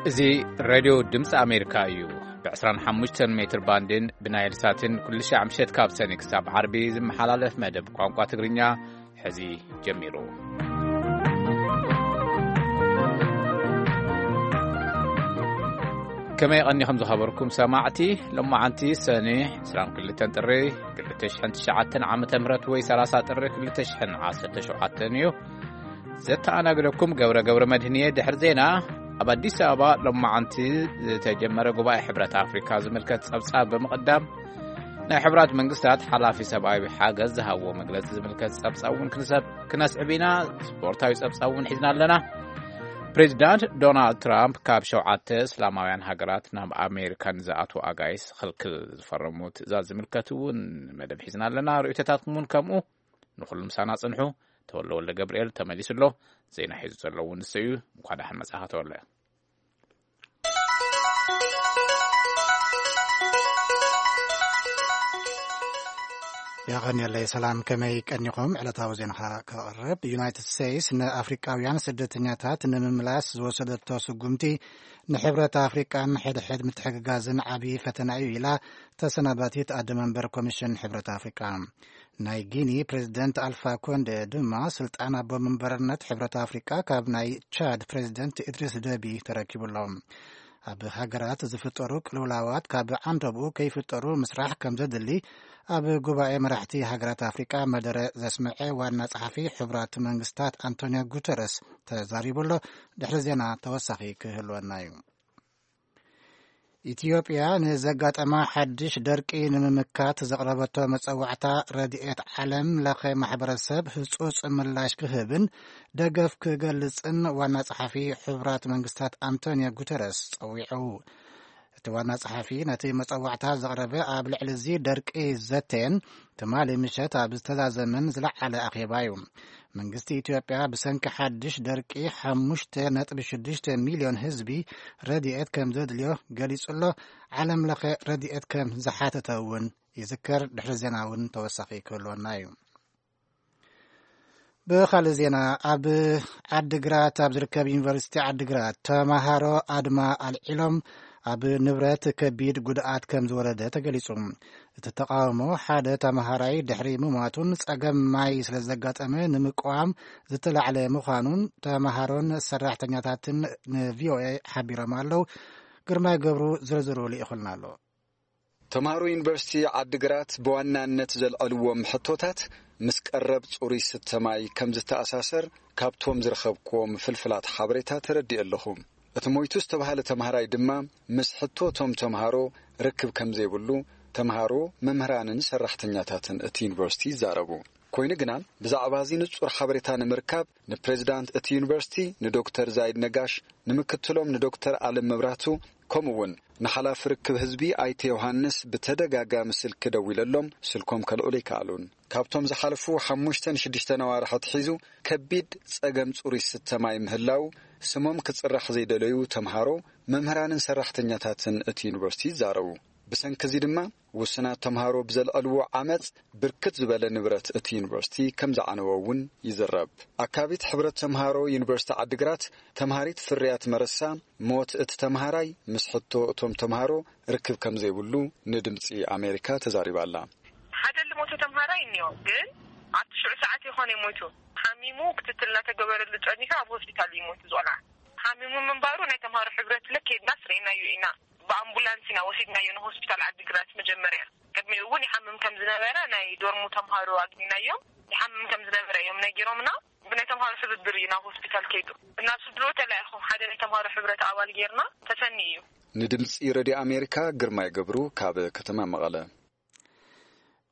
እዚ ሬድዮ ድምፂ ኣሜሪካ እዩ። ብ25 ሜትር ባንድን ብናይል ሳትን ኩሉ ሻዕ ምሸት ካብ ሰኒ ክሳብ ዓርቢ ዝመሓላለፍ መደብ ቋንቋ ትግርኛ ሕዚ ጀሚሩ። ከመይ ቀኒኹም ዝኸበርኩም ሰማዕቲ? ሎማዓንቲ ሰኒ 22 ጥሪ 2009 ዓመተ ምህረት ወይ 30 ጥሪ 2017 እዩ። ዘተኣናግደኩም ገብረ ገብረ መድህንየ። ድሕሪ ዜና፣ ኣብ ኣዲስ ኣበባ ሎማዓንቲ ዝተጀመረ ጉባኤ ሕብረት ኣፍሪካ ዝምልከት ጸብጻብ ብምቕዳም፣ ናይ ሕብራት መንግስታት ሓላፊ ሰብኣዊ ሓገዝ ዝሃብዎ መግለጺ ዝምልከት ጸብጻብ እውን ክንሰብ ክነስዕብ ኢና። ስፖርታዊ ጸብጻብ እውን ሒዝና ኣለና። ፕሬዚዳንት ዶናልድ ትራምፕ ካብ ሸውዓተ እስላማውያን ሃገራት ናብ ኣሜሪካ ንዝኣትዉ ኣጋይስ ክልክል ዝፈረሙ ትእዛዝ ዝምልከት እውን መደብ ሒዝና ኣለና። ርእይቶታትኩም እውን ከምኡ። ንኹሉ ምሳና ጽንሑ። ተወልደ ወልደ ገብርኤል ተመሊሱ ኣሎ። ዜና ሒዙ ዘሎ እውን ንሱ እዩ። እንኳ ደሓን መጻኻ ተወልደ። የቐንየለይ። ሰላም፣ ከመይ ቀኒኹም? ዕለታዊ ዜናኻ ከቕርብ። ዩናይትድ ስቴትስ ንኣፍሪቃውያን ስደተኛታት ንምምላስ ዝወሰደቶ ስጉምቲ ንሕብረት ኣፍሪቃን ሕድሕድ ምትሕግጋዝን ዓብዪ ፈተና እዩ ኢላ ተሰናባቲት ኣደ መንበር ኮሚሽን ሕብረት ኣፍሪቃ። ናይ ጊኒ ፕሬዚደንት ኣልፋ ኮንደ ድማ ስልጣን ኣቦ መንበርነት ሕብረት ኣፍሪቃ ካብ ናይ ቻድ ፕሬዚደንት ኢድሪስ ደቢ ተረኪቡ ኣሎ። ኣብ ሃገራት ዝፍጠሩ ቅልውላዋት ካብ ዓንደብኡ ከይፍጠሩ ምስራሕ ከም ዘድሊ ኣብ ጉባኤ መራሕቲ ሃገራት ኣፍሪቃ መደረ ዘስምዐ ዋና ጸሓፊ ሕቡራት መንግስታት ኣንቶኒዮ ጉተረስ ተዛሪቡ ኣሎ። ድሕሪ ዜና ተወሳኺ ክህልወና እዩ። ኢትዮጵያ ንዘጋጠማ ሓድሽ ደርቂ ንምምካት ዘቕረበቶ መጸዋዕታ ረድኤት ዓለም ለኸ ማሕበረሰብ ህጹጽ ምላሽ ክህብን ደገፍ ክገልጽን ዋና ጸሓፊ ሕቡራት መንግስታት ኣንቶኒዮ ጉተረስ ጸዊዑ። እቲ ዋና ጸሓፊ ነቲ መጸዋዕታ ዘቕረበ ኣብ ልዕሊ እዚ ደርቂ ዘተየን ትማሊ ምሸት ኣብ ዝተዛዘመን ዝለዓለ ኣኼባ እዩ። መንግስቲ ኢትዮጵያ ብሰንኪ ሓድሽ ደርቂ 5.6 ሚልዮን ህዝቢ ረድኤት ከም ዘድልዮ ገሊጹ ኣሎ። ዓለም ለኸ ረድኤት ከም ዝሓተተ እውን ይዝከር። ድሕሪ ዜና እውን ተወሳኺ ክህልወና እዩ። ብኻልእ ዜና፣ ኣብ ዓድግራት ኣብ ዝርከብ ዩኒቨርሲቲ ዓድግራት ተማሃሮ ኣድማ ኣልዒሎም ኣብ ንብረት ከቢድ ጉድኣት ከም ዝወረደ ተገሊጹ። እቲ ተቃውሞ ሓደ ተማሃራይ ድሕሪ ምሟቱን ጸገም ማይ ስለ ዘጋጠመ ንምቅዋም ዝተላዕለ ምዃኑን ተማሃሮን ሰራሕተኛታትን ንቪኦኤ ሓቢሮም ኣለዉ። ግርማይ ገብሩ ዝርዝሩ ልኢኹልና ኣሎ። ተምሃሮ ዩኒቨርሲቲ ዓድግራት ብዋናነት ዘልዐልዎም ሕቶታት ምስ ቀረብ ጽሩይ ስተ ማይ ከም ዝተኣሳሰር ካብቶም ዝረኸብክዎም ፍልፍላት ሓበሬታ ተረዲእ ኣለኹ። እቲ ሞይቱ ዝተባህለ ተምሃራይ ድማ ምስ ሕቶ እቶም ተምሃሮ ርክብ ከም ዘይብሉ ተምሃሮ፣ መምህራንን ሰራሕተኛታትን እቲ ዩኒቨርሲቲ ይዛረቡ። ኮይኑ ግና ብዛዕባ እዚ ንጹር ሓበሬታ ንምርካብ ንፕሬዚዳንት እቲ ዩኒቨርሲቲ ንዶክተር ዛይድ ነጋሽ፣ ንምክትሎም ንዶክተር ኣለም መብራቱ፣ ከምኡ እውን ንሓላፊ ርክብ ህዝቢ ኣይተ ዮሃንስ ብተደጋጋሚ ስልኪ ደዊለሎም ስልኮም ከልዕሉ ኣይከኣሉን። ካብቶም ዝሓለፉ ሓሙሽተን ሽዱሽተን ኣዋርሕ ኣትሒዙ ከቢድ ጸገም ጽሩይ ስተ ማይ ምህላው ስሞም ክጽራሕ ዘይደለዩ ተምሃሮ፣ መምህራንን ሰራሕተኛታትን እቲ ዩኒቨርሲቲ ይዛረቡ። ብሰንኪ እዚ ድማ ውሱናት ተምሃሮ ብዘልዐልዎ ዓመጽ ብርክት ዝበለ ንብረት እቲ ዩኒቨርሲቲ ከም ዝዓነወ እውን ይዝረብ። ኣካቢት ሕብረት ተምሃሮ ዩኒቨርሲቲ ዓድግራት ተምሃሪት ፍርያት መረሳ ሞት እቲ ተምሃራይ ምስ ሕቶ እቶም ተምሃሮ ርክብ ከም ዘይብሉ ንድምጺ ኣሜሪካ ተዛሪባ ኣላ። ሓደ ልሞተ ተምሃራይ እኒኦ፣ ግን ኣብቲ ሽዑ ሰዓት ይኾነ ሞይቱ። ሓሚሙ ክትትል እናተገበረሉ ጸኒሑ ኣብ ሆስፒታል እዩ ሞይቱ ዝቆልዓ። ሓሚሙ ምንባሩ ናይ ተምሃሮ ሕብረት ለኬድና ስርኢናዮ ኢና። ብኣምቡላንስ ኢና ወሲድናዮ ንሆስፒታል ዓዲግራት መጀመርያ። ቅድሚኡ እውን ይሓምም ከም ዝነበረ ናይ ዶርሙ ተምሃሮ ኣግኒናዮም። ይሓምም ከም ዝነበረ እዮም ነጊሮምና። ብናይ ተምሃሮ ሕብብር እዩ ናብ ሆስፒታል ከይዱ። ናብ ስድሮ ተላኢኹ ሓደ ናይ ተምሃሮ ሕብረት ኣባል ጌርና ተሰኒ እዩ። ንድምፂ ረድዮ ኣሜሪካ ግርማይ ገብሩ ካብ ከተማ መቐለ።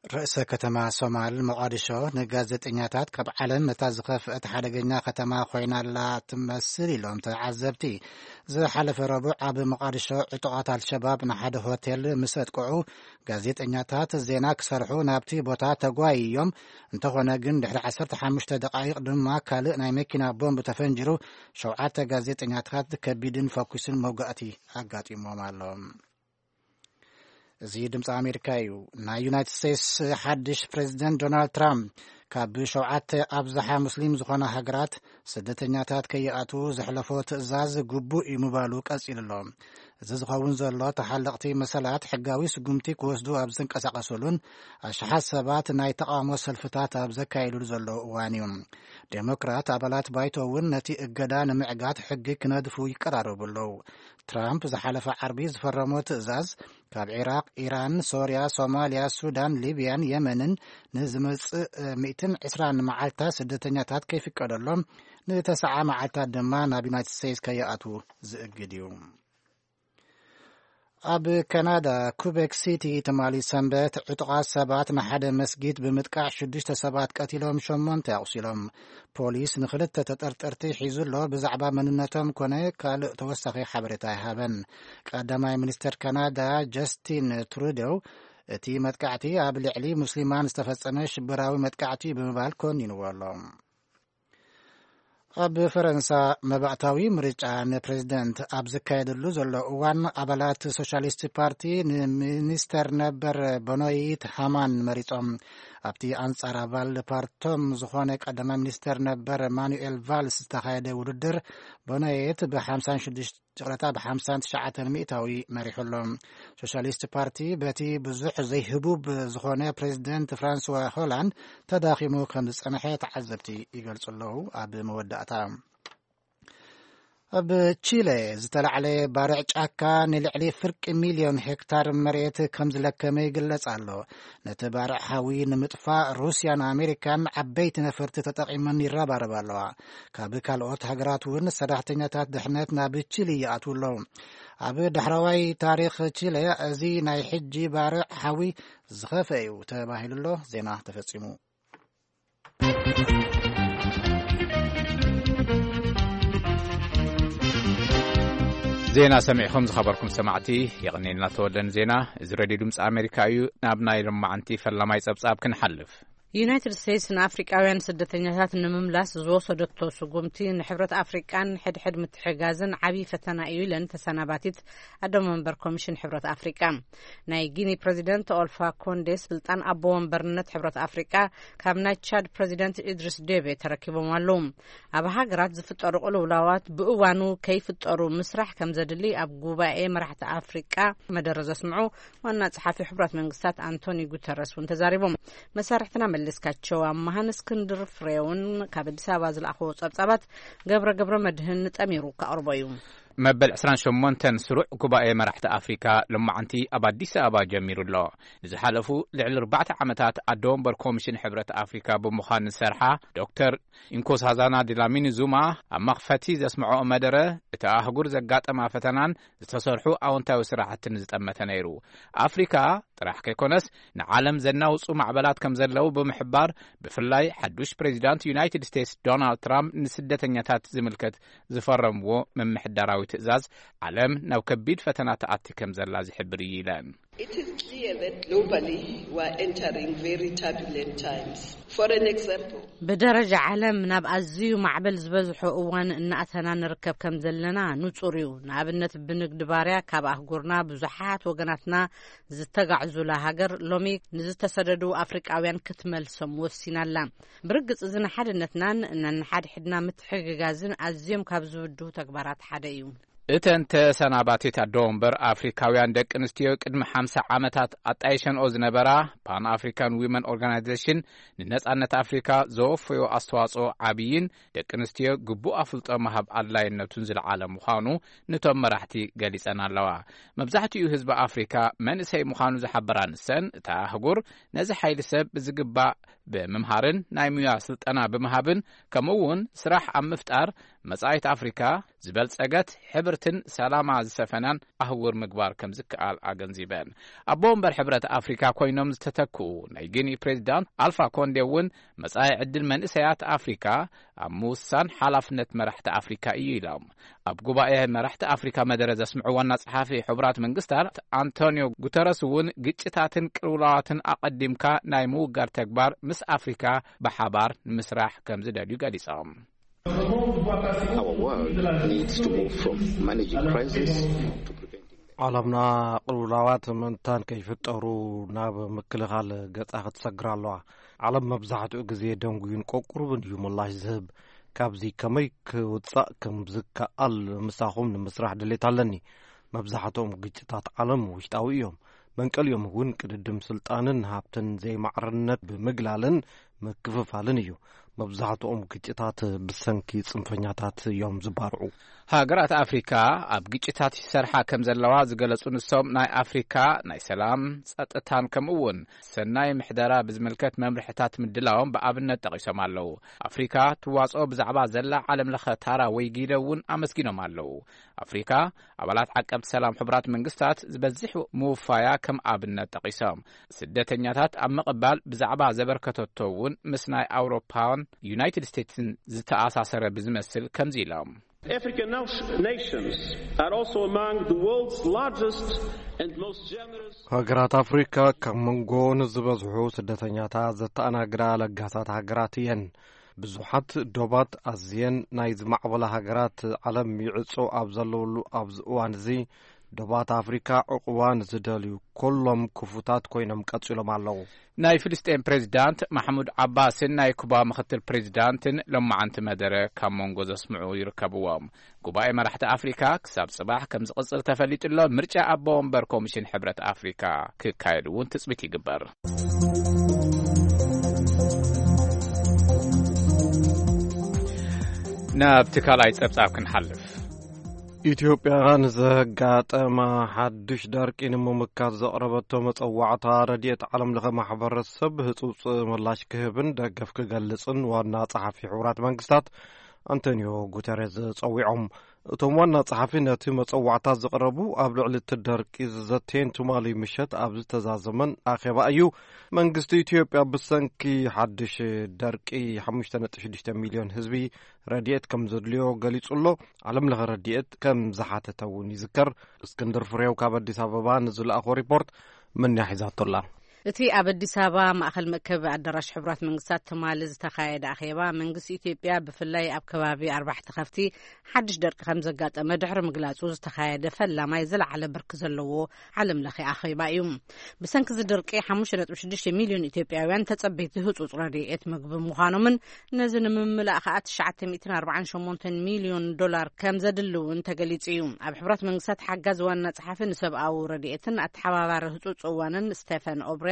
ርእሰ ከተማ ሶማል ሞቓዲሾ ንጋዜጠኛታት ካብ ዓለም እታ ዝኸፍአት ሓደገኛ ከተማ ኮይና ኣላ ትመስል ኢሎም ተዓዘብቲ። ዝሓለፈ ረቡዕ ኣብ ሞቓዲሾ ዕጡቓት ኣልሸባብ ንሓደ ሆቴል ምስ ኣጥቅዑ ጋዜጠኛታት ዜና ክሰርሑ ናብቲ ቦታ ተጓይዮም። እንተኾነ ግን ድሕሪ 15 ደቃይቕ ድማ ካልእ ናይ መኪና ቦምብ ተፈንጂሩ ሸውዓተ ጋዜጠኛታት ከቢድን ፈኩስን መውጋእቲ ኣጋጢሞም ኣሎ። እዚ ድምፂ ኣሜሪካ እዩ። ናይ ዩናይትድ ስቴትስ ሓድሽ ፕሬዚደንት ዶናልድ ትራምፕ ካብ ሸውዓተ ኣብዝሓ ሙስሊም ዝኾና ሃገራት ስደተኛታት ከይኣትዉ ዘሕለፎ ትእዛዝ ግቡእ እዩ ምባሉ ቀጺሉ ኣሎ። እዚ ዝኸውን ዘሎ ተሓለቕቲ መሰላት ሕጋዊ ስጉምቲ ክወስዱ ኣብ ዝንቀሳቐሰሉን ኣሽሓት ሰባት ናይ ተቓውሞ ሰልፍታት ኣብ ዘካየዱሉ ዘለዉ እዋን እዩ። ዴሞክራት ኣባላት ባይቶ እውን ነቲ እገዳ ንምዕጋት ሕጊ ክነድፉ ይቀራረቡ ኣለዉ። ትራምፕ ዝሓለፈ ዓርቢ ዝፈረሞ ትእዛዝ ካብ ዒራቕ፣ ኢራን፣ ሶርያ፣ ሶማልያ፣ ሱዳን፣ ሊብያን የመንን ንዝመጽእ ሚእትን ዕስራን መዓልታት ስደተኛታት ከይፍቀደሎም፣ ንተስዓ መዓልታት ድማ ናብ ዩናይትድ ስቴትስ ከይኣትዉ ዝእግድ እዩ። ኣብ ካናዳ ኩቤክ ሲቲ ትማሊ ሰንበት ዕጡቓት ሰባት ንሓደ መስጊድ ብምጥቃዕ ሽዱሽተ ሰባት ቀቲሎም ሸሞንተ ኣቑሲሎም። ፖሊስ ንኽልተ ተጠርጠርቲ ሒዙ ኣሎ። ብዛዕባ መንነቶም ኮነ ካልእ ተወሳኺ ሓበሬታ ኣይሃበን። ቀዳማይ ሚኒስተር ካናዳ ጀስቲን ትሩደው እቲ መጥቃዕቲ ኣብ ልዕሊ ሙስሊማን ዝተፈጸመ ሽበራዊ መጥቃዕቲ ብምባል ኮኒንዎ ኣሎ። ኣብ ፈረንሳ መባእታዊ ምርጫ ንፕሬዝደንት ኣብ ዝካየደሉ ዘሎ እዋን ኣባላት ሶሻሊስት ፓርቲ ንሚኒስተር ነበር በኖይት ሃማን መሪጾም። ኣብቲ ኣንጻር ኣባል ፓርቶም ዝኾነ ቀዳማይ ሚኒስተር ነበር ማኑኤል ቫልስ ዝተኻየደ ውድድር በኖይት ብ56 ይቕረታ፣ ብ59 ሚእታዊ መሪሑ ኣሎ። ሶሻሊስት ፓርቲ በቲ ብዙሕ ዘይህቡብ ዝኾነ ፕሬዚደንት ፍራንስዋ ሆላንድ ተዳኺሙ ከም ዝጸንሐ ተዓዘብቲ ይገልጹ ኣለዉ። ኣብ መወዳእታ፣ ኣብ ቺለ ዝተላዕለ ባርዕ ጫካ ንልዕሊ ፍርቂ ሚልዮን ሄክታር መሬት ከም ዝለከመ ይግለጽ ኣሎ። ነቲ ባርዕ ሓዊ ንምጥፋእ ሩስያን ኣሜሪካን ዓበይቲ ነፈርቲ ተጠቒመን ይረባረባ ኣለዋ። ካብ ካልኦት ሃገራት እውን ሰራሕተኛታት ድሕነት ናብ ቺሊ ይኣትዉ ኣለዉ። ኣብ ዳሕረዋይ ታሪኽ ቺለ እዚ ናይ ሕጂ ባርዕ ሓዊ ዝኸፍአ እዩ ተባሂሉ ኣሎ። ዜና ተፈጺሙ። ዜና ሰሚዕኹም ዝኸበርኩም ሰማዕቲ፣ የቐኔልና ተወደን ዜና። እዚ ሬድዮ ድምፂ ኣሜሪካ እዩ። ናብ ናይ ሎማዓንቲ ፈላማይ ጸብጻብ ክንሓልፍ። ዩናይትድ ስቴትስ ንኣፍሪቃውያን ስደተኛታት ንምምላስ ዝወሰደቶ ስጉምቲ ንሕብረት ኣፍሪቃን ሕድሕድ ምትሕጋዝን ዓብዪ ፈተና እዩ ኢለን ተሰናባቲት ኣዶ መንበር ኮሚሽን ሕብረት ኣፍሪቃ። ናይ ጊኒ ፕሬዚደንት ኦልፋ ኮንዴ ስልጣን ኣቦ ወንበርነት ሕብረት ኣፍሪቃ ካብ ናይ ቻድ ፕሬዚደንት ኢድሪስ ዴቤ ተረኪቦም ኣለዉ። ኣብ ሃገራት ዝፍጠሩ ቅልውላዋት ብእዋኑ ከይፍጠሩ ምስራሕ ከም ዘድሊ ኣብ ጉባኤ መራሕቲ ኣፍሪቃ መደረ ዘስምዑ ዋና ጸሓፊ ሕቡራት መንግስታት ኣንቶኒ ጉተረስ እውን ተዛሪቦም። መሳርሕትና መለስካቸው ኣመሃን እስክንድር ፍሬውን ካብ ኣዲስ ኣበባ ዝለኣኽዎ ጸብጻባት ገብረ ገብረ መድህን ጠሚሩ ከቕርቦ እዩ። መበል ዕስራን ሸሞንተን ስሩዕ ጉባኤ መራሕቲ ኣፍሪካ ሎማዓንቲ ኣብ ኣዲስ ኣበባ ጀሚሩ ኣሎ። ንዝሓለፉ ልዕሊ ኣርባዕተ ዓመታት ኣዶ ወንበር ኮሚሽን ሕብረት ኣፍሪካ ብምዃን ዝሰርሓ ዶክተር ኢንኮሳዛና ዲላሚኒ ዙማ ኣብ መኽፈቲ ዘስምዖ መደረ፣ እቲ ኣህጉር ዘጋጠማ ፈተናን ዝተሰርሑ ኣወንታዊ ስራሕትን ዝጠመተ ነይሩ። ኣፍሪካ ጥራሕ ከይኮነስ ንዓለም ዘናውጹ ማዕበላት ከም ዘለዉ ብምሕባር፣ ብፍላይ ሓዱሽ ፕሬዚዳንት ዩናይትድ ስቴትስ ዶናልድ ትራምፕ ንስደተኛታት ዝምልከት ዝፈረምዎ ምምሕዳራዊ ትእዛዝ ዓለም ናብ ከቢድ ፈተና ትኣቲ ከም ዘላ ዝሕብር እዩ ኢለን። It is clear that globally we are entering very turbulent times. For an example, ብደረጃ ዓለም ናብ ኣዝዩ ማዕበል ዝበዝሖ እዋን እናእተና ንርከብ ከም ዘለና ንጹር እዩ። ንኣብነት ብንግዲ ባርያ ካብ ኣህጉርና ብዙሓት ወገናትና ዝተጋዕዙላ ሃገር ሎሚ ንዝተሰደዱ ኣፍሪቃውያን ክትመልሶም ወሲናላ። ብርግጽ እዚ ንሓድነትናን ነንሓድሕድና ምትሕግጋዝን ኣዝዮም ካብ ዝብድሁ ተግባራት ሓደ እዩ። እተን ተሰናባቲት ኣዶ ወንበር ኣፍሪካውያን ደቂ ኣንስትዮ ቅድሚ ሓምሳ ዓመታት ኣጣይሸንኦ ዝነበራ ፓን ኣፍሪካን ዊመን ኦርጋናይዜሽን ንነጻነት ኣፍሪካ ዘወፈዮ ኣስተዋጽኦ ዓብይን ደቂ ኣንስትዮ ግቡእ ኣፍልጦ ምሃብ ኣድላይነቱን ዝለዓለ ምዃኑ ንቶም መራሕቲ ገሊጸን ኣለዋ። መብዛሕትኡ ህዝቢ ኣፍሪካ መንእሰይ ምዃኑ ዝሓበራ ንሰን፣ እታ ኣህጉር ነዚ ሓይሊ ሰብ ብዝግባእ ብምምሃርን ናይ ሙያ ስልጠና ብምሃብን ከምኡ እውን ስራሕ ኣብ ምፍጣር መጻኢት ኣፍሪካ ዝበልጸገት፣ ሕብርትን ሰላማ ዝሰፈናን ኣህጉር ምግባር ከም ዝከኣል ኣገንዚበን። ኣቦ ወንበር ሕብረት ኣፍሪካ ኮይኖም ዝተተክኡ ናይ ጊኒ ፕሬዚዳንት ኣልፋ ኮንዴ እውን መጻኢ ዕድል መንእሰያት ኣፍሪካ ኣብ ምውሳን ሓላፍነት መራሕቲ ኣፍሪካ እዩ ኢሎም። ኣብ ጉባኤ መራሕቲ ኣፍሪካ መደረ ዘስምዑ ዋና ጸሓፊ ሕቡራት መንግስታት ኣንቶኒዮ ጉተረስ እውን ግጭታትን ቅልውላዋትን ኣቐዲምካ ናይ ምውጋድ ተግባር ምስ ኣፍሪካ ብሓባር ንምስራሕ ከም ዝደልዩ ገሊጾም። Our world needs to move from managing crisis to preventing them. ዓለምና ቅልውላዋት ምእንታን ከይፍጠሩ ናብ ምክልኻል ገጻ ክትሰግር ኣለዋ። ዓለም መብዛሕትኡ ግዜ ደንጉዩን ቆቁሩብን እዩ ምላሽ ዝህብ። ካብዚ ከመይ ክውጻእ ከም ዝከኣል ምሳኹም ንምስራሕ ድሌት ኣለኒ። መብዛሕትኦም ግጭታት ዓለም ውሽጣዊ እዮም። መንቀሊኦም እውን ቅድድም ስልጣንን ሃብትን ዘይማዕርነት ብምግላልን ምክፍፋልን እዩ። መብዛሕትኦም ግጭታት ብሰንኪ ጽንፈኛታት እዮም ዝባርዑ። ሃገራት ኣፍሪካ ኣብ ግጭታት ይሰርሓ ከም ዘለዋ ዝገለጹ ንሶም፣ ናይ ኣፍሪካ ናይ ሰላም ጸጥታን ከምኡ እውን ሰናይ ምሕደራ ብዝምልከት መምርሕታት ምድላዎም ብኣብነት ጠቒሶም ኣለዉ። ኣፍሪካ ትዋጽኦ ብዛዕባ ዘላ ዓለም ለኸ ታራ ወይ ጊደ እውን ኣመስጊኖም ኣለዉ። ኣፍሪካ ኣባላት ዓቀብቲ ሰላም ሕቡራት መንግስታት ዝበዝሕ ምውፋያ ከም ኣብነት ጠቒሶም፣ ስደተኛታት ኣብ ምቕባል ብዛዕባ ዘበርከተቶ እውን ምስ ናይ ኣውሮፓን ዩናይትድ ስቴትስን ዝተኣሳሰረ ብዝመስል ከምዚ ኢሎም። African nation- nations are also among the world's largest and most generous. ሃገራት ኣፍሪካ ካብ መንጎ ንዝበዝሑ ስደተኛታት ዘተኣናግዳ ለጋሳት ሃገራት እየን። ብዙሓት ዶባት ኣዝየን ናይ ዝማዕበላ ሃገራት ዓለም ይዕጾ ኣብ ዘለውሉ ኣብዚ እዋን እዚ፣ ዶባት ኣፍሪካ ዕቑባ ንዝደልዩ ኩሎም ክፉታት ኮይኖም ቀጺሎም ኣለዉ። ናይ ፍልስጤን ፕሬዚዳንት ማሕሙድ ዓባስን ናይ ኩባ ምኽትል ፕሬዚዳንትን ሎማዓንቲ መደረ ካብ መንጎ ዘስምዑ ይርከብዎም። ጉባኤ መራሕቲ ኣፍሪካ ክሳብ ጽባሕ ከም ዝቕጽል ተፈሊጡ ኣሎ። ምርጫ ኣቦ ወንበር ኮሚሽን ሕብረት ኣፍሪካ ክካየድ እውን ትጽቢት ይግበር። ናብቲ ካልኣይ ጸብጻብ ክንሓልፍ። ኢትዮጵያ ንዘጋጠማ ሓድሽ ደርቂ ንምምካት ዘቕረበቶ መጸዋዕታ ረድኤት ዓለም ለኸ ማሕበረሰብ ህጹጽ ምላሽ ክህብን ደገፍ ክገልጽን ዋና ጸሓፊ ሕቡራት መንግስታት ኣንቶኒዮ ጉተሬዝ ጸዊዖም። እቶም ዋና ጸሓፊ ነቲ መጸዋዕታ ዘቕረቡ ኣብ ልዕሊ እቲ ደርቂ ዝዘተየን ትማሊ ምሸት ኣብ ዝተዛዘመን ኣኼባ እዩ። መንግስቲ ኢትዮጵያ ብሰንኪ ሓድሽ ደርቂ ሓሙሽተ ነጥቢ ሽዱሽተ ሚልዮን ህዝቢ ረድኤት ከም ዘድልዮ ገሊጹ ኣሎ። ዓለም ለኸ ረድኤት ከም ዝሓተተ እውን ይዝከር። እስክንድር ፍሬው ካብ ኣዲስ ኣበባ ንዝለኣኾ ሪፖርት መንያ ሒዛቶ ኣላ። እቲ ኣብ ኣዲስ ኣበባ ማእኸል መእከቢ ኣዳራሽ ሕቡራት መንግስታት ትማሊ ዝተኻየደ ኣኼባ፣ መንግስቲ ኢትዮጵያ ብፍላይ ኣብ ከባቢ ኣርባሕቲ ከፍቲ ሓድሽ ደርቂ ከም ዘጋጠመ ድሕሪ ምግላጹ ዝተኻየደ ፈላማይ ዝለዓለ ብርኪ ዘለዎ ዓለም ለኸ ኣኼባ እዩ። ብሰንኪ እዚ ድርቂ ሓሙሽተ ነጥቢ ሽዱሽተ ሚልዮን ኢትዮጵያውያን ተጸበይቲ ህጹጽ ረድኤት ምግቢ ምዃኖምን ነዚ ንምምላእ ከኣ ትሽዓተ ሚእትን ኣርባዓን ሸሞንተን ሚልዮን ዶላር ከም ዘድሊ እውን ተገሊጹ እዩ። ኣብ ሕቡራት መንግስታት ሓጋዚ ዋና ጸሓፊ ንሰብኣዊ ረድኤትን ኣተሓባባሪ ህጹጽ እዋንን ስቴፈን ኦብሪያን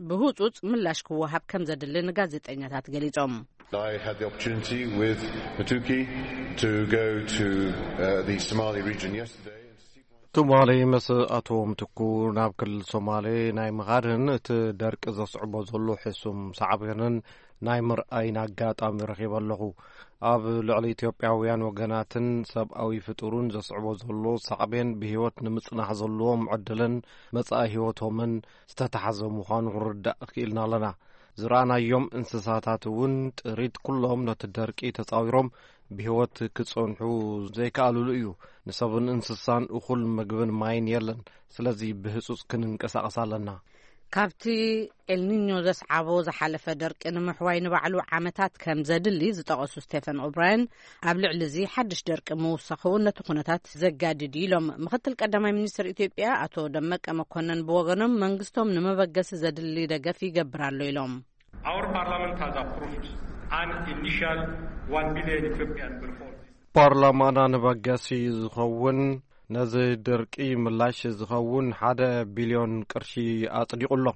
ብህጹጽ ምላሽ ክወሃብ ከም ዘድሊ ንጋዜጠኛታት ገሊጾም። I had the opportunity with Matuki to go to uh, the Somali region yesterday. ትማሊ ምስ ኣቶ ምትኩ ናብ ክልል ሶማሌ ናይ ምኻድን እቲ ደርቂ ዘስዕቦ ዘሎ ሕሱም ሳዕቤንን ናይ ምርኣይን ኣጋጣሚ ረኺበ ኣለኹ። ኣብ ልዕሊ ኢትዮጵያውያን ወገናትን ሰብኣዊ ፍጡሩን ዘስዕቦ ዘሎ ሳዕቤን ብህይወት ንምጽናሕ ዘለዎም ዕድልን መጻኢ ህይወቶምን ዝተታሕዘ ምዃኑ ክንርዳእ ክኢልና ኣለና። ዝረኣናዮም እንስሳታት እውን ጥሪት ኩሎም ነቲ ደርቂ ተጻዊሮም ብህይወት ክጸንሑ ዘይከኣሉሉ እዩ። ንሰብን እንስሳን እኹል ምግብን ማይን የለን። ስለዚ ብህጹጽ ክንንቀሳቐስ ኣለና። ካብቲ ኤልኒኞ ዘስዓቦ ዝሓለፈ ደርቂ ንምሕዋይ ንባዕሉ ዓመታት ከም ዘድሊ ዝጠቐሱ ስቴፈን ኦብራያን፣ ኣብ ልዕሊ እዚ ሓድሽ ደርቂ ምውሳኹ እውን ነቲ ኩነታት ዘጋድድ እዩ ኢሎም። ምክትል ቀዳማይ ሚኒስትር ኢትዮጵያ ኣቶ ደመቀ መኮንን ብወገኖም መንግስቶም ንመበገሲ ዘድሊ ደገፍ ይገብር ኣሎ ኢሎም። Our parliament has approved an initial one billion Ethiopian birr for this. ፓርላማና ንመበገሲ ዝኸውን ነዚ ድርቂ ምላሽ ዝኸውን ሓደ ቢልዮን ቅርሺ ኣጽዲቑ ኣሎ።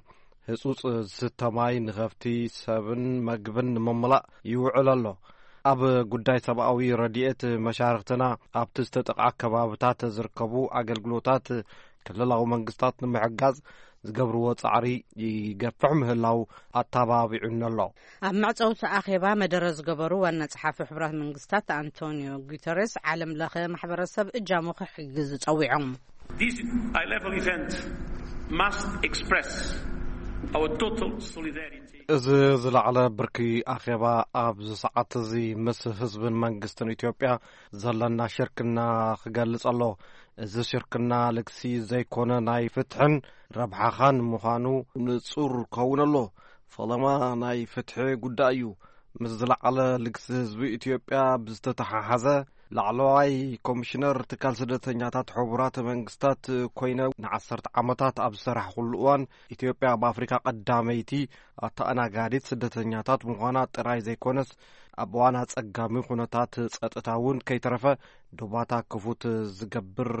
ህጹጽ ዝስተ ማይ ንኸፍቲ ሰብን መግብን ንምምላእ ይውዕል ኣሎ። ኣብ ጉዳይ ሰብኣዊ ረድኤት መሻርኽትና ኣብቲ ዝተጠቕዓ ከባብታት ዝርከቡ ኣገልግሎታት ክልላዊ መንግስታት ንምሕጋዝ ዝገብርዎ ጻዕሪ ይገፍሕ ምህላው ኣተባቢዑኒ ኣሎ። ኣብ መዕጸውቲ ኣኼባ መደረ ዝገበሩ ዋና ጸሓፊ ሕቡራት መንግስታት ኣንቶኒዮ ጉተሬስ፣ ዓለም ለኸ ማሕበረሰብ እጃሙ ክሕግዝ ጸዊዖም። This high-level event must express our total solidarity. እዚ ዝለዓለ ብርኪ ኣኼባ ኣብዚ ሰዓት እዚ ምስ ህዝብን መንግስትን ኢትዮጵያ ዘለና ሽርክና ክገልጽ ኣሎ። እዚ ሽርክና ልግሲ ዘይኮነ ናይ ፍትሕን ረብሓኻን ምዃኑ ንጹር ከውን ኣሎ። ፈለማ ናይ ፍትሒ ጉዳይ እዩ። ምስ ዝለዓለ ልግሲ ህዝቢ ኢትዮጵያ ብዝተተሓሓዘ ላዕለዋይ ኮሚሽነር ትካል ስደተኛታት ሕቡራት መንግስታት ኮይነ ንዓሰርተ ዓመታት ኣብ ዝሰራሕኩሉ እዋን፣ ኢትዮጵያ ኣብ ኣፍሪካ ቀዳመይቲ ኣተኣናጋዲት ስደተኛታት ምዃና ጥራይ ዘይኮነስ፣ ኣብ እዋን ኣጸጋሚ ኩነታት ጸጥታ እውን ከይተረፈ ዶባታ ክፉት ዝገብር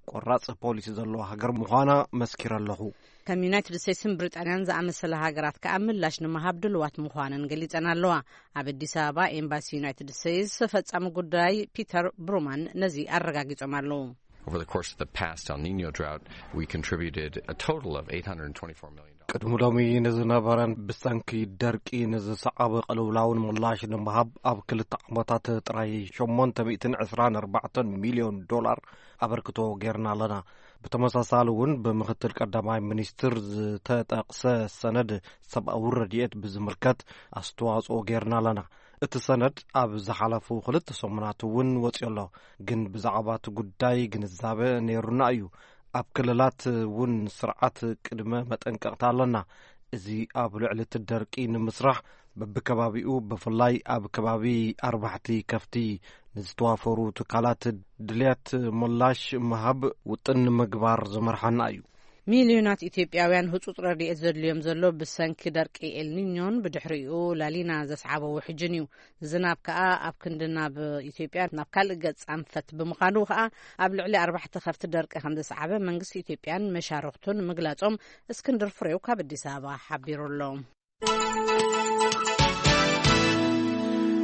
ቆራጽ ፖሊሲ ዘለዋ ሃገር ምዃና መስኪረ ኣለኹ። ከም united states ን ብሪጣንያን ዝኣመሰላ ሃገራት ከኣ ምላሽ ንምሃብ ድልዋት ምዃነን ገሊጸን ኣለዋ። ኣብ ኣዲስ ኣበባ ኤምባሲ ዩናይትድ ስቴትስ ፈጻሚ ጉዳይ ፒተር ብሩማን ነዚ ኣረጋጊጾም ኣለዉ። Over the course of the past El Nino drought, we contributed a total of eight hundred twenty-four million dollars. ቅድሚ ሎሚ ንዝነበረን ብሰንኪ ደርቂ ንዝሰዓበ ቅልውላውን ምላሽ ንምሃብ ኣብ ክልተ ዓመታት ጥራይ ሸሞንተ ሚእትን ዕስራን ኣርባዕተን ሚልዮን ዶላር ኣበርክቶ ጌርና ኣለና። ብተመሳሳሊ እውን ብምክትል ቀዳማይ ሚኒስትር ዝተጠቕሰ ሰነድ ሰብኣዊ ረድኤት ብዝምልከት ኣስተዋጽኦ ጌርና ኣለና። እቲ ሰነድ ኣብ ዝሓለፉ ክልተ ሰሙናት እውን ወጺኡ ኣሎ። ግን ብዛዕባ እቲ ጉዳይ ግንዛበ ነይሩና እዩ። ኣብ ክልላት እውን ስርዓት ቅድመ መጠንቀቕታ ኣለና። እዚ ኣብ ልዕሊ እቲ ደርቂ ንምስራሕ በብከባቢኡ፣ ብፍላይ ኣብ ከባቢ ኣርባሕቲ ከፍቲ ንዝተዋፈሩ ትካላት ድልያት ምላሽ ምሃብ ውጥን ንምግባር ዝመርሓና እዩ። ሚልዮናት ኢትዮጵያውያን ህጹጽ ረድኤት ዘድልዮም ዘሎ ብሰንኪ ደርቂ ኤልኒኞን ብድሕሪኡ ላሊና ዘስዓቦ ውሕጅን እዩ። ዝናብ ከኣ ኣብ ክንዲ ናብ ኢትዮጵያ ናብ ካልእ ገጽ ኣንፈት ብምዃኑ ከኣ ኣብ ልዕሊ ኣርባሕተ ከፍቲ ደርቂ ከም ዘስዓበ መንግስቲ ኢትዮጵያን መሻርኽቱን ምግላጾም እስክንድር ፍሬው ካብ ኣዲስ ኣበባ ሓቢሩ ኣሎ።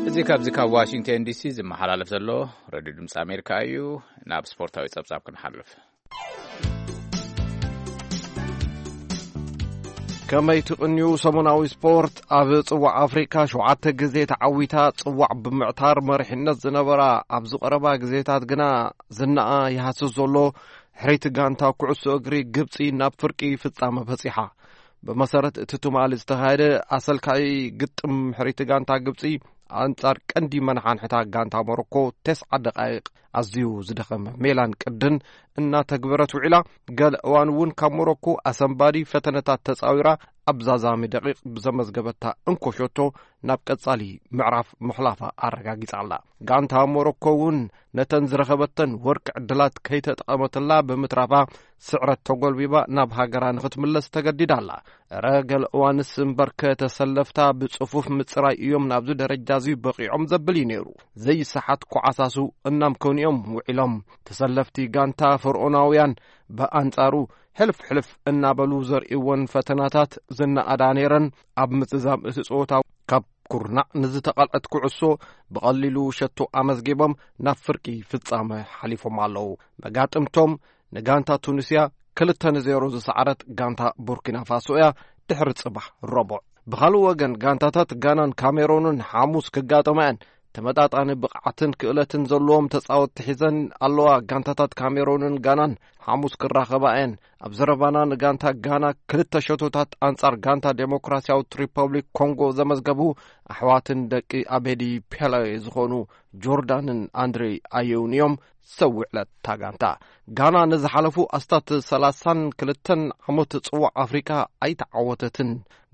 እዚ ካብዚ ካብ ዋሽንግተን ዲሲ ዝመሓላለፍ ዘሎ ሬድዮ ድምፂ ኣሜሪካ እዩ። ናብ ስፖርታዊ ጸብጻብ ክንሓልፍ። ከመይ ትቕንዩ ሰሙናዊ ስፖርት? ኣብ ጽዋዕ ኣፍሪካ ሸውዓተ ግዜ ተዓዊታ ጽዋዕ ብምዕታር መሪሕነት ዝነበራ ኣብዚ ቀረባ ግዜታት ግና ዝናኣ ይሃስስ ዘሎ ሕረይቲ ጋንታ ኩዕሶ እግሪ ግብጺ ናብ ፍርቂ ፍጻመ በጺሓ። ብመሰረት እቲ ትማሊ ዝተኻየደ ኣሰልካይ ግጥም ሕረይቲ ጋንታ ግብጺ ኣንጻር ቀንዲ መናሓንሕታ ጋንታ ሞሮኮ ተስዓ ደቃይቕ ኣዝዩ ዝደኸመ ሜላን ቅድን እናተግበረት ውዒላ። ገለ እዋን እውን ካብ ሞሮኮ ኣሰንባዲ ፈተነታት ተጻዊራ ኣብ ዛዛሚ ደቂቕ ብዘመዝገበታ እንኮ ሸቶ ናብ ቀጻሊ ምዕራፍ ምሕላፋ ኣረጋጊጻ ኣላ። ጋንታ ሞሮኮ እውን ነተን ዝረኸበተን ወርቂ ዕድላት ከይተጠቐመትላ ብምትራፋ ስዕረት ተጎልቢባ ናብ ሃገራ ንኽትምለስ ተገዲዳ ኣላ። እረ ገለ እዋንስ እምበርከ ተሰለፍታ ብጽፉፍ ምጽራይ እዮም ናብዚ ደረጃ እዚ በቒዖም ዘብል እዩ ነይሩ። ዘይሰሓት ኮዓሳሱ እናምከኑ እዮም ውዒሎም። ተሰለፍቲ ጋንታ ፈርኦናውያን ብኣንጻሩ ሕልፍ ሕልፍ እናበሉ ዘርእይወን ፈተናታት ዝነኣዳ ነይረን። ኣብ ምዝዛም እቲ ጸወታ ካብ ኩርናዕ ንዝተቐልዐት ኩዕሶ ብቐሊሉ ሸቶ ኣመዝጊቦም ናብ ፍርቂ ፍጻመ ሓሊፎም ኣለዉ። መጋጥምቶም ንጋንታ ቱኒስያ ክልተ ንዜሮ ዝሰዓረት ጋንታ ቡርኪና ፋሶ እያ። ድሕሪ ጽባሕ ረቡዕ። ብኻልእ ወገን ጋንታታት ጋናን ካሜሮንን ሓሙስ ክጋጠማ እየን። ተመጣጣኒ ብቕዓትን ክእለትን ዘለዎም ተጻወትቲ ሒዘን ኣለዋ። ጋንታታት ካሜሮንን ጋናን ሓሙስ ክራኸባ እየን። ኣብ ዘረባና ንጋንታ ጋና ክልተ ሸቶታት ኣንጻር ጋንታ ዴሞክራሲያዊት ሪፐብሊክ ኮንጎ ዘመዝገቡ ኣሕዋትን ደቂ ኣቤዲ ፔለ ዝኾኑ ጆርዳንን ኣንድሬ ኣየውን እዮም ሰብ ውዕለት እታ ጋንታ። ጋና ንዝሓለፉ ኣስታት ሰላሳን ክልተን ዓመት ጽዋዕ ኣፍሪካ ኣይተዓወተትን።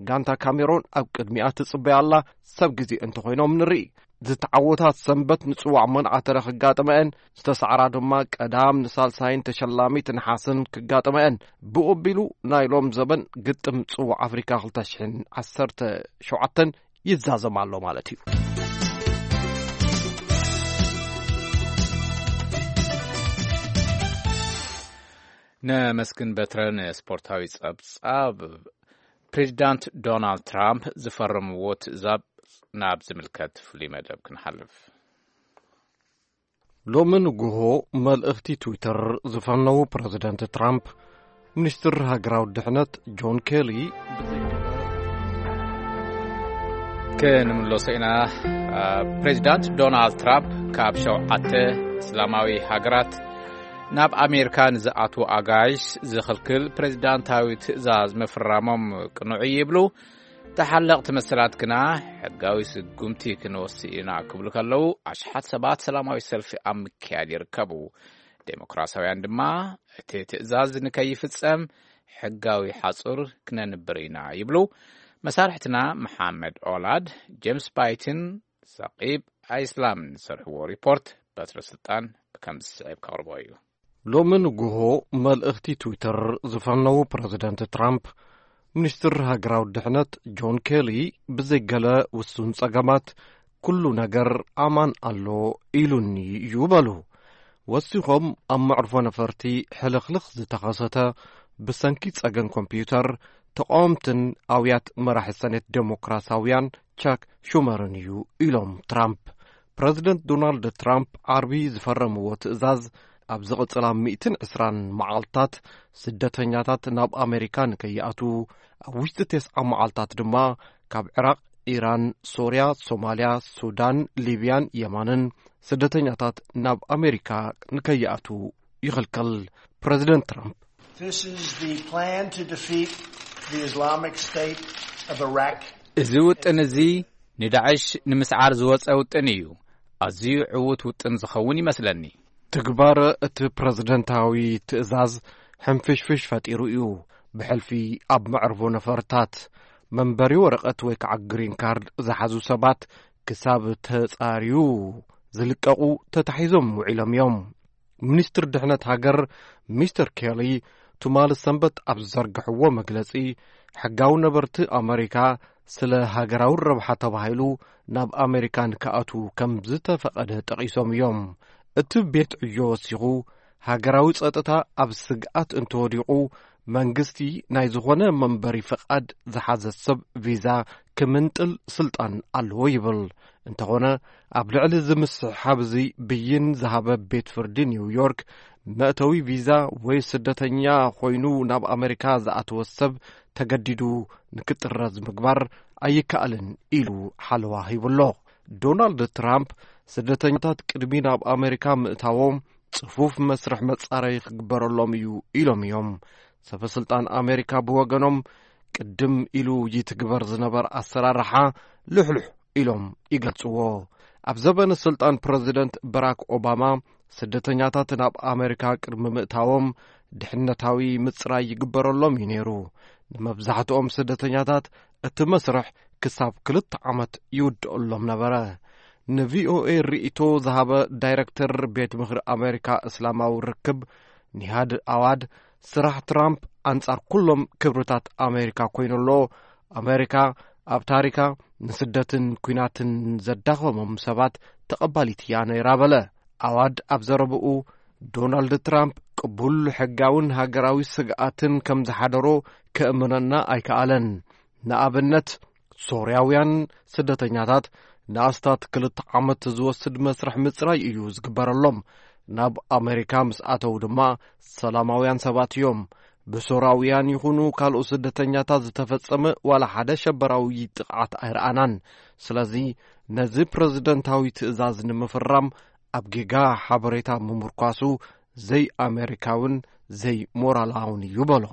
ጋንታ ካሜሮን ኣብ ቅድሚኣ ትጽበያ ኣላ። ሰብ ግዜ እንተኾይኖም ንርኢ። ዝተዓወታት ሰንበት ንጽዋዕ መንዓተረ ክጋጥመአን፣ ዝተሳዕራ ድማ ቀዳም ንሳልሳይን ተሸላሚት ነሓስን ክጋጥመአን። ብኡ ኣቢሉ ናይ ሎም ዘበን ግጥም ጽዋዕ ኣፍሪካ ክልተ ሽሕን ዓሰርተ ሸውዓተን ይዛዘም ኣሎ ማለት እዩ። ነመስግን በትረ ንስፖርታዊ ጸብጻብ። ፕሬዚዳንት ዶናልድ ትራምፕ ዝፈረምዎ ትእዛዝ ናብ ዝምልከት ፍሉይ መደብ ክንሓልፍ። ሎሚ ንግሆ መልእኽቲ ትዊተር ዝፈነዉ ፕረዚደንት ትራምፕ፣ ሚኒስትር ሃገራዊ ድሕነት ጆን ኬሊ ብዘይገለ ክንምለሶ ኢና። ፕሬዚዳንት ዶናልድ ትራምፕ ካብ ሸውዓተ እስላማዊ ሃገራት ናብ ኣሜሪካ ንዝኣትዉ ኣጋይሽ ዝኽልክል ፕሬዚዳንታዊ ትእዛዝ ምፍራሞም ቅኑዕ እዩ ይብሉ። ተሓለቕቲ መሰላት ግና ሕጋዊ ስጉምቲ ክንወስድ ኢና ክብሉ ከለዉ፣ ኣሽሓት ሰባት ሰላማዊ ሰልፊ ኣብ ምክያድ ይርከቡ። ዴሞክራሲያውያን ድማ እቲ ትእዛዝ ንከይፍጸም ሕጋዊ ሓጹር ክነንብር ኢና ይብሉ። መሳርሕትና መሓመድ ኦላድ፣ ጄምስ ባይትን ሰቂብ ኣይስላምን ዝሰርሕዎ ሪፖርት በትረ ስልጣን ከም ዝስዕብ ከቕርቦ እዩ። ሎሚ ንግሆ መልእኽቲ ትዊተር ዝፈነዉ ፕረዚደንት ትራምፕ፣ ሚኒስትር ሃገራዊ ድሕነት ጆን ኬሊ ብዘይገለ ውሱን ጸገማት ኩሉ ነገር ኣማን ኣሎ ኢሉኒ እዩ በሉ። ወሲኾም፣ ኣብ መዕርፎ ነፈርቲ ሕልኽልኽ ዝተኸሰተ ብሰንኪ ጸገም ኮምፒውተር ተቃወምትን ኣውያት መራሒ ሰኔት ዴሞክራሲያውያን ቻክ ሹመርን እዩ ኢሎም ትራምፕ። ፕረዚደንት ዶናልድ ትራምፕ ዓርቢ ዝፈረምዎ ትእዛዝ፣ ኣብ ዝቕጽላ ሚእትን ዕስራን መዓልታት ስደተኛታት ናብ ኣሜሪካ ንከይኣትዉ፣ ኣብ ውሽጢ ተስዓ መዓልታት ድማ ካብ ዕራቕ፣ ኢራን፣ ሶርያ፣ ሶማልያ፣ ሱዳን፣ ሊብያን የማንን ስደተኛታት ናብ ኣሜሪካ ንከይኣትዉ ይኽልክል። ፕረዚደንት ትራምፕ This is the plan to defeat the Islamic State of Iraq. እዚ ውጥን እዚ ንዳዕሽ ንምስዓር ዝወጸ ውጥን እዩ። ኣዝዩ ዕዉት ውጥን ዝኸውን ይመስለኒ። ትግባረ እቲ ፕረዚደንታዊ ትእዛዝ ሕንፍሽፍሽ ፈጢሩ እዩ። ብሕልፊ ኣብ መዕርፎ ነፈርታት መንበሪ ወረቐት ወይ ከዓ ግሪን ካርድ ዝሓዙ ሰባት ክሳብ ተጻርዩ ዝልቀቑ ተታሒዞም ውዒሎም እዮም። ሚኒስትር ድሕነት ሃገር ሚስተር ኬሊ ትማሊ ሰንበት ኣብ ዝዘርግሕዎ መግለጺ፣ ሕጋዊ ነበርቲ ኣመሪካ ስለ ሃገራዊ ረብሓ ተባሂሉ ናብ ኣመሪካ ንክኣትዉ ከም ዝተፈቐደ ጠቒሶም እዮም። እቲ ቤት ዕዮ ወሲኹ፣ ሃገራዊ ጸጥታ ኣብ ስግኣት እንተወዲቑ፣ መንግስቲ ናይ ዝኾነ መንበሪ ፍቓድ ዝሓዘ ሰብ ቪዛ ክምንጥል ስልጣን ኣለዎ ይብል። እንተኾነ፣ ኣብ ልዕሊ እዚ ምስሕሓብ እዚ ብይን ዝሃበ ቤት ፍርዲ ኒውዮርክ፣ መእተዊ ቪዛ ወይ ስደተኛ ኮይኑ ናብ ኣመሪካ ዝኣተወ ሰብ ተገዲዱ ንክጥረዝ ምግባር ኣይከኣልን ኢሉ ሓለዋ ሂቡሎ። ዶናልድ ትራምፕ፣ ስደተኛታት ቅድሚ ናብ ኣመሪካ ምእታዎም ጽፉፍ መስርሕ መጻረዪ ክግበረሎም እዩ ኢሎም እዮም። ሰበ ስልጣን ኣሜሪካ ብወገኖም፣ ቅድም ኢሉ ይትግበር ዝነበር ኣሰራርሓ ልሕሉሕ ኢሎም ይገልጽዎ። ኣብ ዘበነ ስልጣን ፕረዚደንት በራክ ኦባማ፣ ስደተኛታት ናብ ኣሜሪካ ቅድሚ ምእታዎም ድሕነታዊ ምጽራይ ይግበረሎም እዩ ነይሩ። ንመብዛሕትኦም ስደተኛታት እቲ መስርሕ ክሳብ ክልተ ዓመት ይውድኣሎም ነበረ። ንቪኦኤ ርእይቶ ዝሃበ ዳይረክተር ቤት ምኽሪ ኣሜሪካ እስላማዊ ርክብ ኒሃድ ኣዋድ፣ ስራሕ ትራምፕ ኣንጻር ኩሎም ክብርታት ኣሜሪካ ኮይኑ ኣሎ። ኣሜሪካ ኣብ ታሪካ ንስደትን ኲናትን ዘዳኸሞም ሰባት ተቐባሊት እያ ነይራ በለ። ኣዋድ ኣብ ዘረብኡ፣ ዶናልድ ትራምፕ ቅቡል ሕጋውን ሃገራዊ ስግኣትን ከም ዝሓደሮ ከእምነና ኣይከኣለን። ንኣብነት፣ ሶርያውያን ስደተኛታት ንኣስታት ክልተ ዓመት ዝወስድ መስርሕ ምጽራይ እዩ ዝግበረሎም። ናብ ኣሜሪካ ምስ ኣተው ድማ ሰላማውያን ሰባት እዮም። ብሶራውያን ይኹኑ ካልኦት ስደተኛታት ዝተፈጸመ ዋላ ሓደ ሸበራዊ ጥቕዓት ኣይረኣናን። ስለዚ ነዚ ፕረዚደንታዊ ትእዛዝ ንምፍራም ኣብ ጌጋ ሓበሬታ ምምርኳሱ ዘይኣሜሪካውን ዘይሞራላውን እዩ በሎ።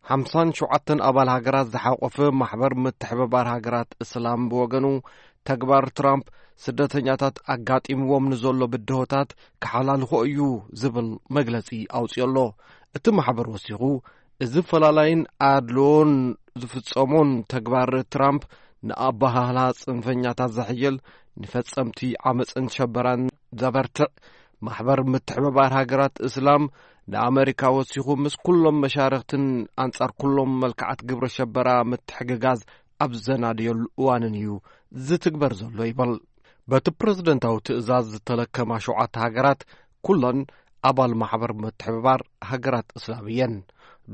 ሓምሳን ሸውዓተን ኣባል ሃገራት ዝሓቆፈ ማሕበር ምትሕብባር ሃገራት እስላም ብወገኑ፣ ተግባር ትራምፕ ስደተኛታት ኣጋጢምዎም ንዘሎ ብድሆታት ክሓላልኾ እዩ ዝብል መግለጺ ኣውጺኦ ኣሎ። እቲ ማሕበር ወሲኹ፣ እዚ ፈላላይን ኣድልዎን ዝፍጸሞን ተግባር ትራምፕ ንኣበሃህላ ጽንፈኛታት ዘሕይል፣ ንፈጸምቲ ዓመጽን ሸበራን ዘበርትዕ፣ ማሕበር ምትሕብባር ሃገራት እስላም ንኣመሪካ ወሲኹ ምስ ኩሎም መሻርኽትን ኣንጻር ኩሎም መልክዓት ግብረ ሸበራ ምትሕግጋዝ ኣብ ዘናድየሉ እዋንን እዩ ዝትግበር ዘሎ ይበል። በቲ ፕረዚደንታዊ ትእዛዝ ዝተለከማ ሸውዓተ ሃገራት ኩለን ኣባል ማሕበር ምትሕብባር ሃገራት እስላም እየን።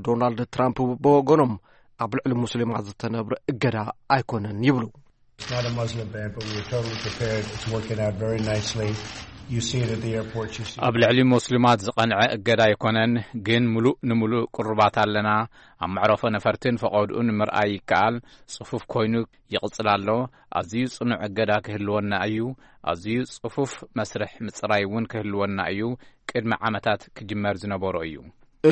ዶናልድ ትራምፕ ብወገኖም ኣብ ልዕሊ ሙስሊማት ዝተነብረ እገዳ ኣይኮነን ይብሉ። It's not a Muslim ban, but we were totally prepared. It's working out very nicely. You see it at the airports. You see ኣብ ልዕሊ ሙስሊማት ዝቐንዐ እገዳ ኣይኮነን፣ ግን ምሉእ ንምሉእ ቅሩባት ኣለና። ኣብ መዕረፎ ነፈርትን ፈቐድኡን ምርኣይ ይከኣል። ጽፉፍ ኮይኑ ይቕጽል ኣሎ። ኣዝዩ ጽኑዕ እገዳ ክህልወና እዩ። ኣዝዩ ጽፉፍ መስርሕ ምጽራይ እውን ክህልወና እዩ። ቅድሚ ዓመታት ክጅመር ዝነበሮ እዩ።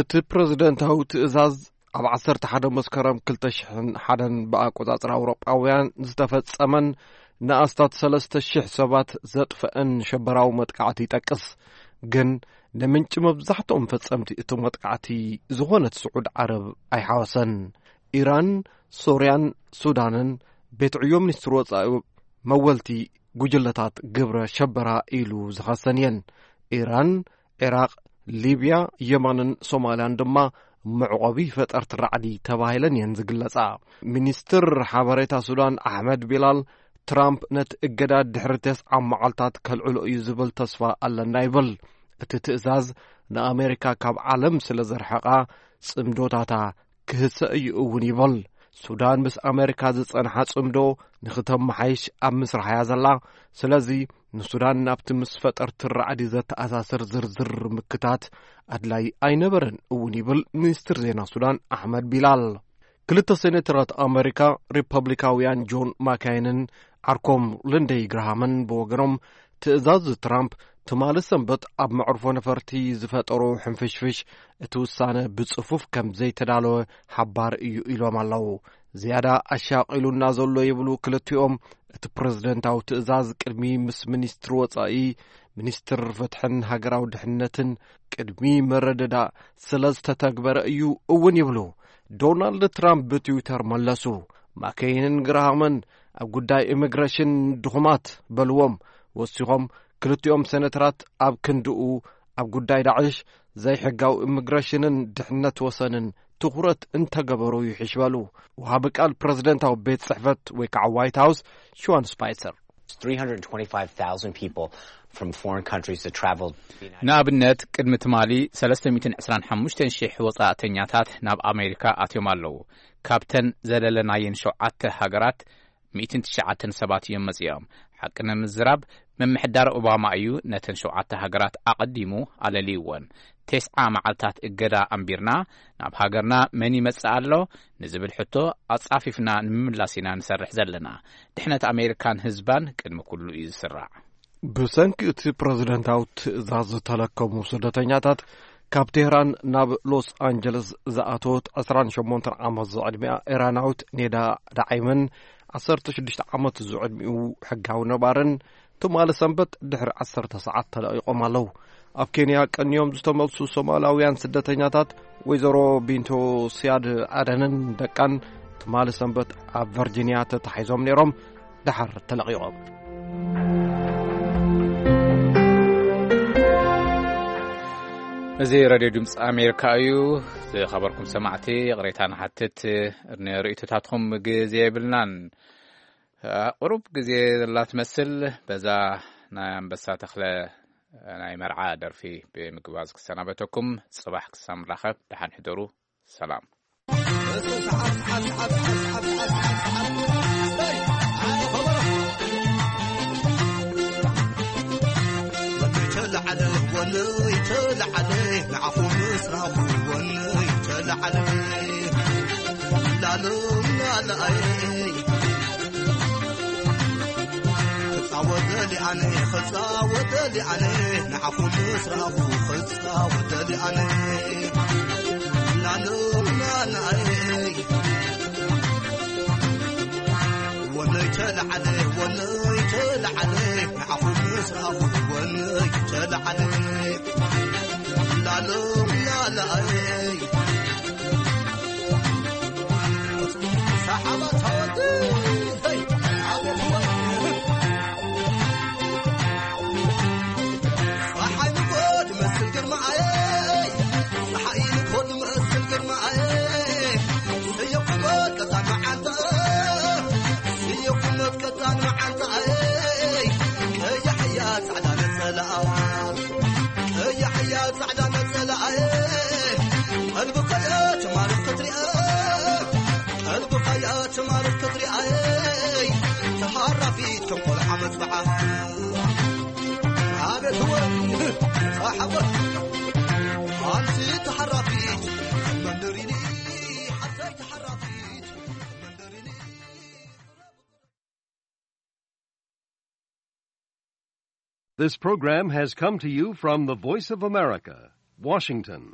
እቲ ፕረዚደንታዊ ትእዛዝ ኣብ ዓሰርተ ሓደ መስከረም ክልተ ሽሕን ሓደን ብኣቆጻጽራ ኣውሮጳውያን ዝተፈጸመን ንኣስታት ሰለስተ ሽሕ ሰባት ዘጥፈአን ሸበራዊ መጥቃዕቲ ይጠቅስ። ግን ንምንጪ መብዛሕትኦም ፈጸምቲ እቲ መጥቃዕቲ ዝኾነት ስዑድ ዓረብ ኣይሓወሰን። ኢራን፣ ሶርያን ሱዳንን ቤት ዕዮ ሚኒስትሪ ወጻኢ መወልቲ ጉጅለታት ግብረ ሸበራ ኢሉ ዝኸሰን እየን። ኢራን፣ ዒራቕ፣ ሊብያ፣ የመንን ሶማልያን ድማ መዕቆቢ ፈጠርቲ ራዕዲ ተባሂለን እየን ዝግለጻ። ሚኒስትር ሓበሬታ ሱዳን ኣሕመድ ቢላል፣ ትራምፕ ነቲ እገዳ ድሕሪ ተስዓ መዓልታት ከልዕሎ እዩ ዝብል ተስፋ ኣለና ይብል። እቲ ትእዛዝ ንኣሜሪካ ካብ ዓለም ስለ ዘርሐቓ ጽምዶታታ ክህሰ እዩ እውን ይብል። ሱዳን ምስ ኣሜሪካ ዝጸንሓ ጽምዶ ንኽተመሓይሽ ኣብ ምስራሕ እያ ዘላ። ስለዚ ንሱዳን ናብቲ ምስ ፈጠርቲ ራዕዲ ዘተኣሳስር ዝርዝር ምክታት ኣድላይ ኣይነበረን እውን ይብል ሚኒስትር ዜና ሱዳን ኣሕመድ ቢላል። ክልተ ሴኔተራት ኣሜሪካ ሪፐብሊካውያን ጆን ማካይንን ዓርኮም ልንደይ ግራሃምን ብወገኖም ትእዛዝ ትራምፕ ትማሊ ሰንበት ኣብ መዕርፎ ነፈርቲ ዝፈጠሮ ሕንፍሽፍሽ እቲ ውሳነ ብጽፉፍ ከም ዘይተዳለወ ሓባር እዩ ኢሎም ኣለዉ። ዝያዳ ኣሻቒሉና ዘሎ ይብሉ ክልቲኦም እቲ ፕረዚደንታዊ ትእዛዝ ቅድሚ ምስ ሚኒስትሪ ወጻኢ፣ ሚኒስትር ፍትሕን ሃገራዊ ድሕነትን ቅድሚ መረደዳ ስለ ዝተተግበረ እዩ እውን ይብሉ። ዶናልድ ትራምፕ ብትዊተር መለሱ። ማከይንን ግራሃምን ኣብ ጉዳይ ኢሚግሬሽን ድኹማት በልዎም። ወሲኾም ክልቲኦም ሴነተራት ኣብ ክንድኡ ኣብ ጉዳይ ዳዕሽ፣ ዘይሕጋዊ ኢሚግሬሽንን ድሕነት ወሰንን ትኹረት እንተገበሩ ይሕሽ በሉ። ወሃቢ ቃል ፕረዚደንታዊ ቤት ጽሕፈት ወይ ከዓ ዋይት ሃውስ ሽዋን ስፓይሰር። Three hundred twenty-five thousand people from foreign countries that traveled. ንኣብነት ቅድሚ ትማሊ ሰለስተ ሚእትን ዕስራን ሓሙሽተን ሽሕ ወጻእተኛታት ናብ ኣሜሪካ ኣትዮም ኣለዉ። ካብተን ዘለለናየን ሸውዓተ ሃገራት ሚእትን ትሽዓተን ሰባት እዮም መጺኦም። ሓቂ ንምዝራብ፣ ምምሕዳር ኦባማ እዩ ነተን ሸውዓተ ሃገራት ኣቐዲሙ ኣለልይወን። ተስዓ መዓልታት እገዳ ኣንቢርና፣ ናብ ሃገርና መን ይመጽእ ኣሎ ንዝብል ሕቶ ኣጻፊፍና ንምምላስ ኢና ንሰርሕ ዘለና። ድሕነት ኣሜሪካን ህዝባን ቅድሚ ኩሉ እዩ ዝስራዕ። ብሰንኪ እቲ ፕረዚደንታዊ ትእዛዝ ዝተለከሙ ስደተኛታት፣ ካብ ቴህራን ናብ ሎስ ኣንጀለስ ዝኣተወት ዕስራን ሸሞንተን ዓመት ዝዕድሚኣ ኢራናዊት ኔዳ ዳዒምን ዓሰርተ ሽዱሽተ ዓመት ዝዕድሚኡ ሕጋዊ ነባርን ትማሊ ሰንበት ድሕሪ ዓሰርተ ሰዓት ተለቒቖም ኣለዉ። ኣብ ኬንያ ቀንዮም ዝተመልሱ ሶማላውያን ስደተኛታት ወይዘሮ ቢንቶ ሲያድ ኣደንን ደቃን ትማሊ ሰንበት ኣብ ቨርጂንያ ተታሒዞም ነይሮም፣ ደሓር ተለቒቖም። እዚ ሬድዮ ድምፂ ኣሜሪካ እዩ። ዝኸበርኩም ሰማዕቲ፣ ይቕሬታ ንሓትት፣ ንርእይቶታትኩም ግዜ የብልናን። ቁሩብ ግዜ ዘላ ትመስል። በዛ ናይ ኣንበሳ ተኽለ ናይ መርዓ ደርፊ ብምግባዝ ክሰናበተኩም። ጽባሕ ክሳብ ንራኸብ፣ ደሓን ሕደሩ። ሰላም። This program has come to you from the Voice of America, Washington.